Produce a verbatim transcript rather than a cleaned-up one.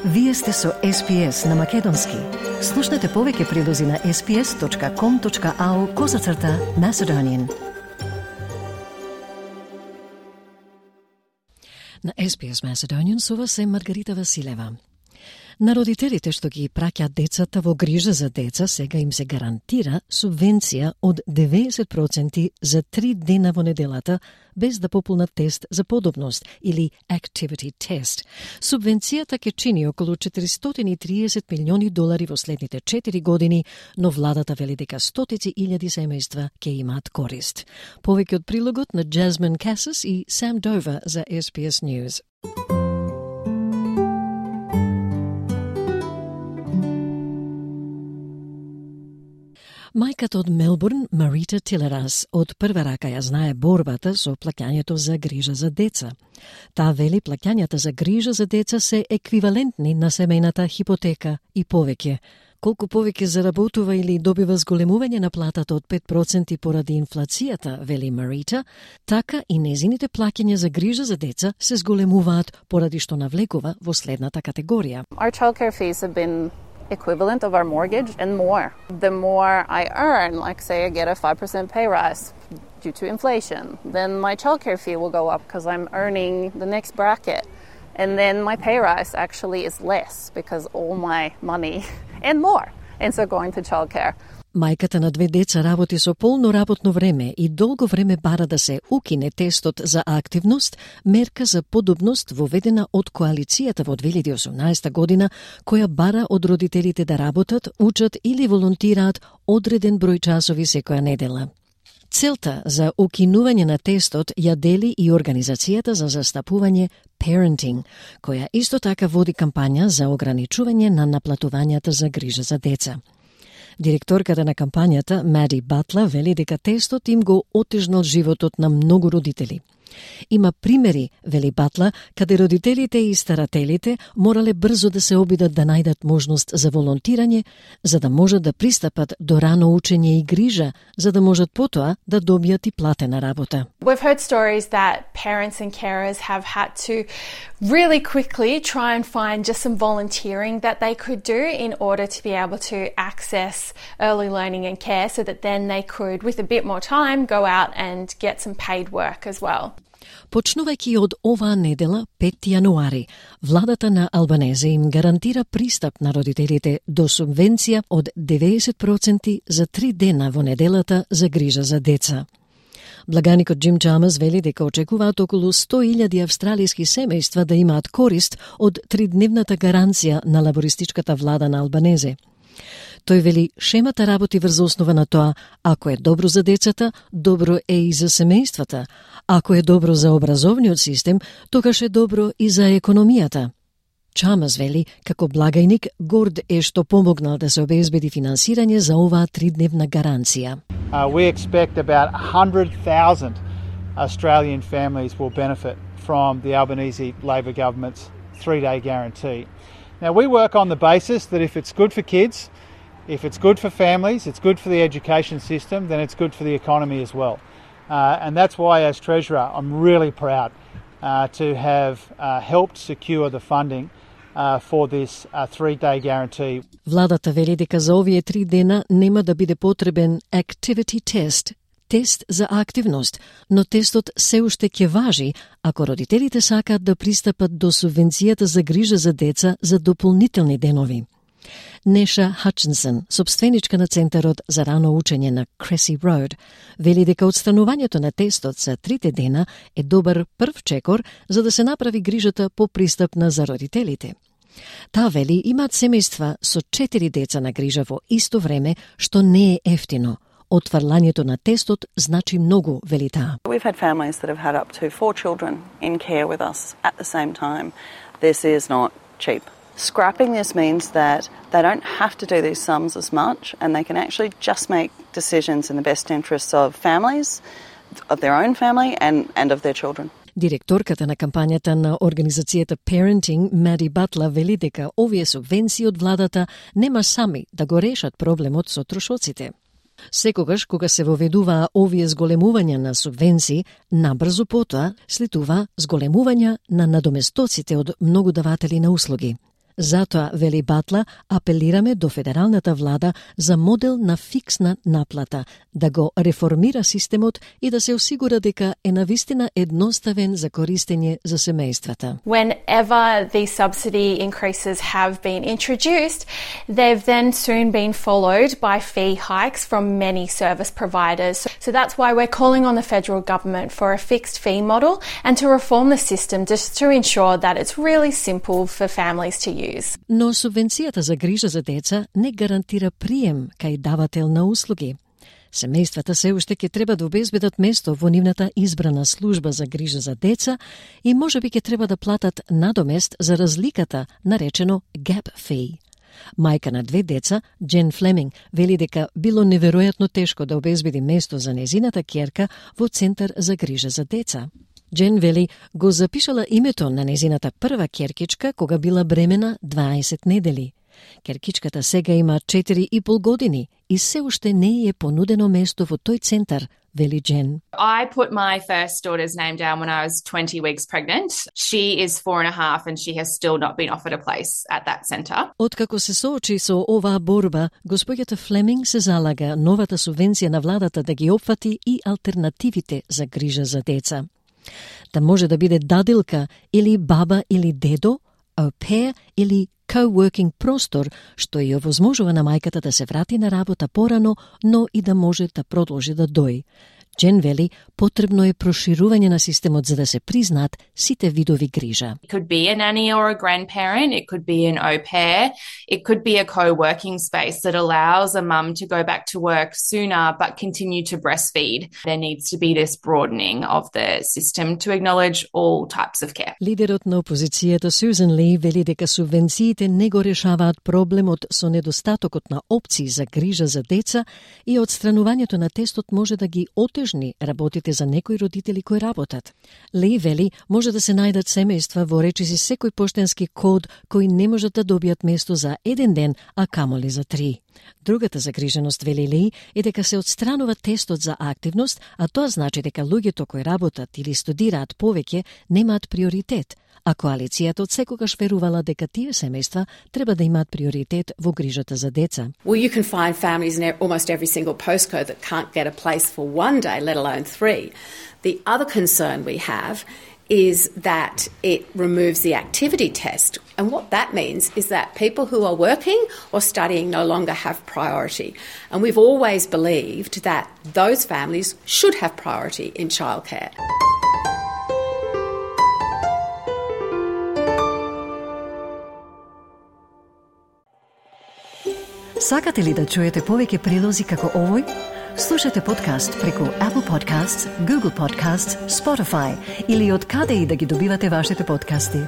Вие сте со Ес Би Ес на Македонски. Слушнете повеќе прилози на ес би ес точка ком точка ау козацрта Macedonian. На Ес Би Ес Macedonian со вас е Маргарита Василева. На родителите што ги праќаат децата во грижа за деца, сега им се гарантира субвенција од деветдесет проценти за три дена во неделата, без да пополнат тест за подобност или activity test. Субвенцијата ќе чини околу четиристотини и триесет милиони долари во следните четири години, но владата вели дека стотици илјади семејства ќе имаат корист. Повеќе од прилогот на Jasmine Cassis и Sam Dover за Ес Би Ес News. Мајката од Мелбурн, Марита Тилерас, од прва рака ја знае борбата со плаќањето за грижа за деца. Таа вели плаќањата за грижа за деца се еквивалентни на семејната хипотека и повеќе. Колку повеќе заработува или добива зголемување на платата од пет проценти поради инфлацијата, вели Марита, така и незините плаќања за грижа за деца се зголемуваат поради што навлекува во следната категорија. Our childcare fees have been equivalent of our mortgage and more. The more I earn, like say I get a five percent pay rise due to inflation, then my childcare fee will go up because I'm earning the next bracket. And then my pay rise actually is less because all my money and more ends up going to childcare. Мајката на две деца работи со полно работно време и долго време бара да се укине тестот за активност, мерка за подобност воведена од коалицијата во две илјади и осумнаесета година, која бара од родителите да работат, учат или волонтираат одреден број часови секоја недела. Целта за укинување на тестот ја дели и Организацијата за застапување Parenting, која исто така води кампања за ограничување на наплатувањата за грижа за деца. Директорката на кампањата, Мади Батла, вели дека тестот им го отежнал животот на многу родители. Има примери, вели Батла, каде родителите и старателите морале брзо да се обидат да најдат можност за волонтирање, за да можат да пристапат до рано учење и грижа, за да можат потоа да добијат и платена работа. We've heard stories that parents and carers have had to really quickly try and find just some volunteering that they could do in order to be able to access early learning and care so that then they could, with a bit more time, go out and get some paid work as well. Почнувајќи од оваа недела, пети јануари, владата на Албанезе им гарантира пристап на родителите до субвенција од деветдесет проценти за три дена во неделата за грижа за деца. Благаникот Джим Чамас вели дека очекуваат околу сто илјади австралиски семејства да имаат корист од тридневната гаранција на лабористичката влада на Албанезе. Тој вели, шемата работи врз основа на тоа, ако е добро за децата, добро е и за семејствата. Ако е добро за образовниот систем, тогаш е добро и за економијата. Чамас вели, како благајник, горд е што помогнал да се обезбеди финансирање за оваа тридневна гаранција. Uh, we expect about one hundred thousand Australian families will benefit from the Albanese Labor government's three-day guarantee. Now, we work on the basis that if it's good for kids, if it's good for families, it's good for the education system, then it's good for the economy as well. Uh, and that's why, as Treasurer, I'm really proud uh, to have uh, helped secure the funding uh, for this uh, three-day guarantee. Владата вели дека за овие три дена нема да биде потребен activity test, тест за активност, но тестот се уште ќе важи ако родителите сакаат да пристапат до субвенцијата за грижа за деца за дополнителни денови. Неша Хатчинсон, собственичка на Центарот за рано учење на Cressy Road, вели дека отстранувањето на тестот за трите дена е добар прв чекор за да се направи грижата попристапна за родителите. Таа вели имаат семејства со четири деца на грижа во исто време, што не е ефтино. Отфрлањето на тестот значи многу, вели таа. We've had families that have had up to four children in care with us at the same time. This is not cheap. Scrapping this means that they don't have to do these sums as much and they can actually just make decisions in the best interests of families, of their own family and, and of their children. Директорката на кампањата на Организацијата Parenting, Мади Батла, вели дека овие субвенции од владата нема сами да го решат проблемот со трошоците. Секогаш кога се воведуваа овие зголемувања на субвенции, набрзо потоа следува зголемувања на надоместоците од многу даватели на услуги. Затоа, вели Батла, апелираме до федералната влада за модел на фиксна наплата, да го реформира системот и да се осигура дека е навистина едноставен за користење за семејствата. Whenever these subsidy increases have been introduced, they've then soon been followed by fee hikes from many service providers. So that's why we're calling on the federal government for a fixed fee model and to reform the system just to ensure that it's really simple for families to use. Но субвенцијата за грижа за деца не гарантира прием кај давател на услуги. Семејствата се уште ќе треба да обезбедат место во нивната избрана служба за грижа за деца и можеби ќе треба да платат надомест за разликата, наречено gap fee. Мајка на две деца, Джен Флеминг, вели дека било неверојатно тешко да обезбеди место за незината ќерка во центар за грижа за деца. Джен вели го запишала името на незината прва ќеркичка кога била бремена дваесет недели. Ќеркичката сега има четири и пол години и се уште не е понудено место во тој центар, вели Джен. I put my first daughter's name down when I was twenty weeks pregnant. She is four and a half and she has still not been offered a place at that centre. Откако се соочи со оваа борба, господјата Флеминг се залага новата субвенција на владата да ги опфати и алтернативите за грижа за деца. Да може да биде дадилка или баба или дедо, au pair или co-working простор, што ја овозможува на мајката да се врати на работа порано, но и да може да продолжи да дои. Джен вели, потребно е проширување на системот за да се признаат сите видови грижа. It could be a nanny or a grandparent, it could be an au pair, it could be a co-working space that allows a mum to go back to work sooner but continue to breastfeed. There needs to be this broadening of the system to acknowledge all types of care. Лидерот на опозицијата Сюзан Ли вели дека субвенциите не го решаваат проблемот со недостатокот на опции за грижа за деца и отстранувањето на тестот може да ги отежни работите за некои родители кои работат. Ли вели, може да се најдат семејства во речиси секој поштенски код кои не можат да добијат место за еден ден, а камоли за три. Другата загриженост, вели Ли, е дека се отстранува тестот за активност, а тоа значи дека луѓето кои работат или студираат повеќе немаат приоритет, а коалицијата од секогаш верувала дека тие семејства треба да имаат приоритет во грижата за деца. Well, you can find families in almost every single postcode that can't get a place for one day, let alone three. The other concern we have is that it removes the activity test. And what that means is that people who are working or studying no longer have priority. And we've always believed that those families should have priority in childcare. Сакате ли да чуете повеќе прилози како овој? Слушате подкаст преку Apple Podcasts, Google Podcasts, Spotify или од каде и да ги добивате вашите подкасти.